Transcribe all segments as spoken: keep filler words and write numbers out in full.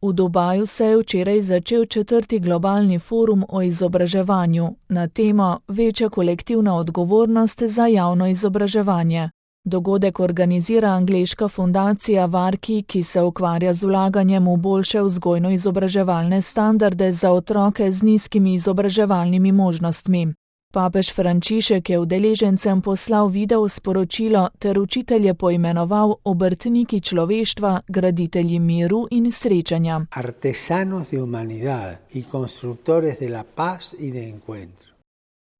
V Dubaju se je včeraj začel četrti globalni forum o izobraževanju na temo Večja kolektivna odgovornost za javno izobraževanje. Dogodek organizira angleška fundacija Varki, ki se ukvarja z vlaganjem v boljše vzgojno-izobraževalne standarde za otroke z nizkimi izobraževalnimi možnostmi. Papež Frančišek je udeležencem poslal video sporočilo ter učitelje poimenoval obrtniki človeštva, graditelji miru in srečanja. Artesanos de humanidad y constructores de la paz y de encuentro.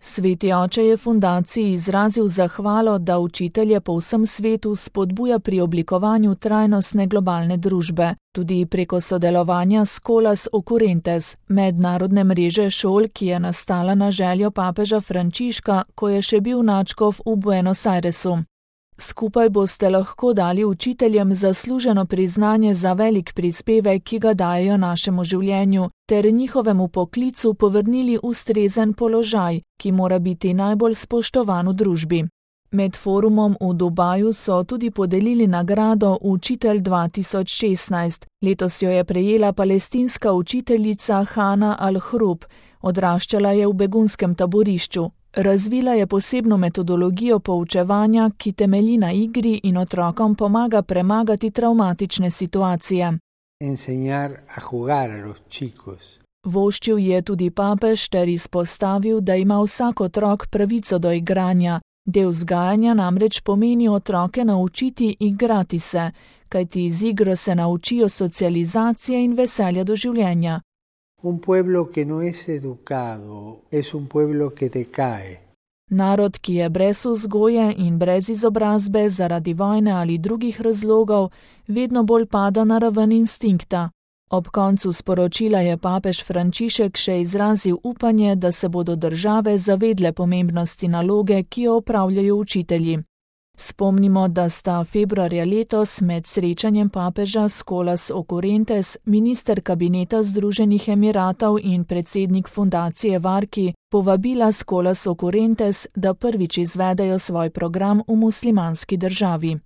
Sveti oče je fundaciji izrazil zahvalo, da učitelje po vsem svetu spodbuja pri oblikovanju trajnostne globalne družbe, tudi preko sodelovanja s Colas Occurrentes, mednarodne mreže šol, ki je nastala na željo papeža Frančiška, ko je še bil nadškof v Buenos Airesu. Skupaj boste lahko dali učiteljem zasluženo priznanje za velik prispevek, ki ga dajejo našemu življenju, ter njihovemu poklicu povrnili ustrezen položaj, ki mora biti najbolj spoštovan v družbi. Med forumom v Dubaju so tudi podelili nagrado Učitelj dva tisoč šestnajst. Letos jo je prejela palestinska učiteljica Hana Al-Hrub, odraščala je v begunskem taborišču. Razvila je posebno metodologijo poučevanja, ki temelji na igri in otrokom pomaga premagati travmatične situacije. Enseñar a jugar a los chicos. Voščil je tudi papež ter izpostavil, da ima vsak otrok pravico do igranja. Del vzgajanja namreč pomeni otroke naučiti igrati se, kajti z igro se naučijo socializacije in veselja do življenja. Un pueblo que no es educado es un pueblo que decae. Narod, ki je brez vzgoje in brez izobrazbe zaradi vojne ali drugih razlogov, vedno bolj pada na raven instinkta. Ob koncu sporočila je papež Frančišek še izrazil upanje, da se bodo države zavedle pomembnosti naloge, ki jo opravljajo učitelji. Spomnimo, da sta februarja letos med srečanjem papeža s Colas Occurrentes, minister kabineta Združenih Emiratov in predsednik fundacije Varki povabila s Colas Occurrentes, da prvič izvedejo svoj program v muslimanski državi.